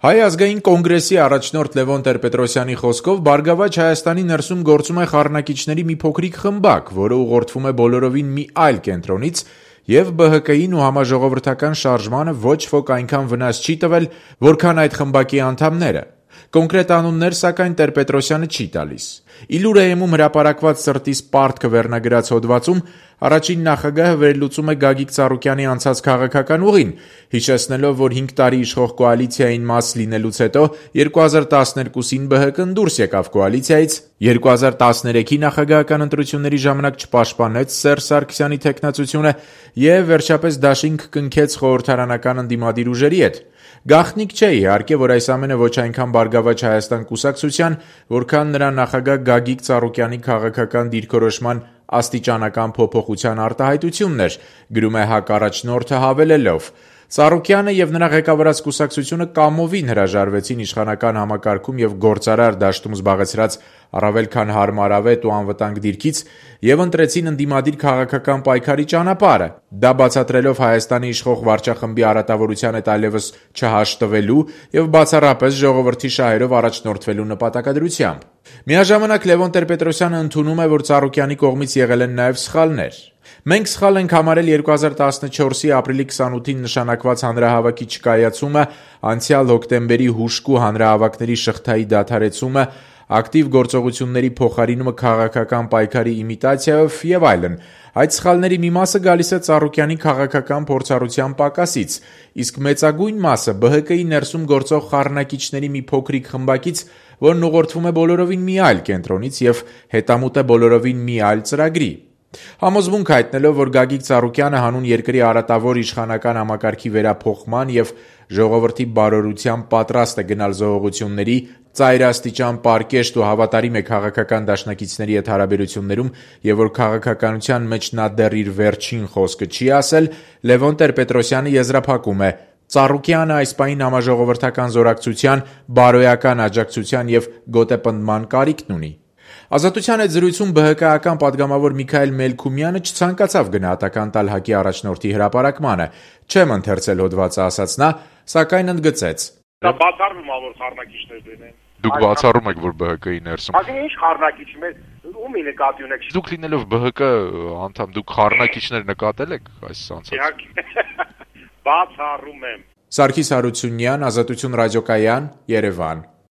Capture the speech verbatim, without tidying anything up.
Հայ ազգային կոնգրեսի առաջնորդ Լևոն Տեր-Պետրոսյանի խոսքով Բարգավաճ Հայաստանի ներսում գործում է խառնակիչների մի փոքրիկ խմբակ, որը ուղղորդվում է բոլորովին մի այլ կենտրոնից եւ Բ Հ Կ-ին ու համաժողովրդական շարժմանը ոչ ոք այնքան վնաս չի տվել, որքան այդ խմբակի անդամները։ Կոնկրետ անուններ, սակայն Տեր-Պետրոսյանը չի տալիս։ Իլուրեեմում հրապարակված «Սրտիս պարտքը» վերնագրած հոդվածում առաջին նախագահը վերլուծում է Գագիկ Ծառուկյանի անցած քաղաքական ուղին, հիշեցնելով, որ հինգ տարի իշխող կոալիցիային մաս լինելուց հետո երկու հազար տասներկուսին Բ Հ Կն դուրս եկավ կոալիցիայից, երկու հազար տասներեքի նախագահական ընտրությունների ժամանակ չպաշտպանեց Սերժ Սարգսյանի թեկնածությունը եւ վերջապես դաշինք կնքեց խորհրդարանական ընդդիմադիր ուժերի հետ։ Գաղտնիք չէ, իհարկե, որ այս ամենը ոչ այնքան Բարգավաճ Հայաստան կուսակցության, որքան նրա նախագահ Գագիկ Ծառուկյանի քաղաքական դիրքորոշման աստիճանական փոփոխության արտահայտությունն էր, գրում է ՀԱԿ առաջնորդը հավելելով. Ծառուկյանը եւ նրա ղեկավարած կուսակցությունը կամովին հրաժարվեցին իշխանական համակարգում եւ գործարար դաշտում զբաղեցրած առավել քան հարմարավետ ու անվտանգ դիրքից եւ ընտրեցին ընդդիմադիր քաղաքական պայքարի ճանապարհը, դա բացատրելով Հայաստանի իշխող վարչախմբի արատավորության հետ այլևս չհաշտվելու եւ բացառապես ժողովրդի շահերով առաջնորդվելու նպատակադրությամբ։ Միաժամանակ Լևոն Տեր-Պետրոսյանը ընդունում է, որ Ծառուկյանի կողմից եղել են նաեւ սխալներ։ Մենք սխալ ենք համարել երկու հազար տասնչորսի ապրիլի քսանութին նշանակված հանրահավաքի չկայացումը, անցյալ հոկտեմբերի հուժկու հանրահավաքների շղթայի դադարեցումը, ակտիվ գործողությունների փոխարինումը քաղաքական պայքարի իմիտացիայով եւ այլն։ Այդ սխալների մի մասը գալիս է Ծառուկյանի քաղաքական փորձառության պակասից, իսկ մեծագույն մասը Բ Հ Կ-ի ներսում գործող խառնակիչների մի փոքրիկ խմբակից, որն ուղղորդվում է բոլորովին մի այլ կենտրոնից եւ հետամուտ է բոլորովին մի այլ ծրագրի։ Համոզմունք հայտնելով, որ Գագիկ Ծառուկյանը հանուն երկրի արատավոր իշխանական համակարգի վերափոխման եւ ժողովրդի բարօրության պատրաստ է գնալ զոհողությունների, ծայրաստիճան պարկեշտ ու հավատարիմ է քաղաքական դաշնակիցների հետ հարաբերություններում եւ որ քաղաքականության մեջ նա դեռ իր վերջին խոսքը չի ասել, Լևոն Տեր-Պետրոսյանը եզրափակում է. Ծառուկյանը այս պահին համաժողովրդական զորակցության, բարոյական աջակցության եւ գոտեպնդման կարիքն ունի։ Ազատության հետ զրույցում Բ Հ Կ-ական падգամավոր Միքայել Մելքումյանը չցանկացավ գնահատական տալ ՀԱԿ-ի առաջնորդի հրապարակմանը։ Չեմ ընթերցել հոդվածը, ասաց նա, սակայն ընդգծեց. Դա բացառվում է, որ խառնակիչներ դեն։ Դուք բացառում եք, որ Բ Հ Կ-ի ներսում։ Բայց ինչ խառնակիչ մեր ումի նկատի ունեք։ Դուք լինելով Բ Հ Կ անդամ, դուք խառնակիչներ նկատել եք այս անցած։ Իհարկե։ Բացառում եմ։ Սարգիս Հարությունյան, Ազատություն ռադիոկայան, Երևան։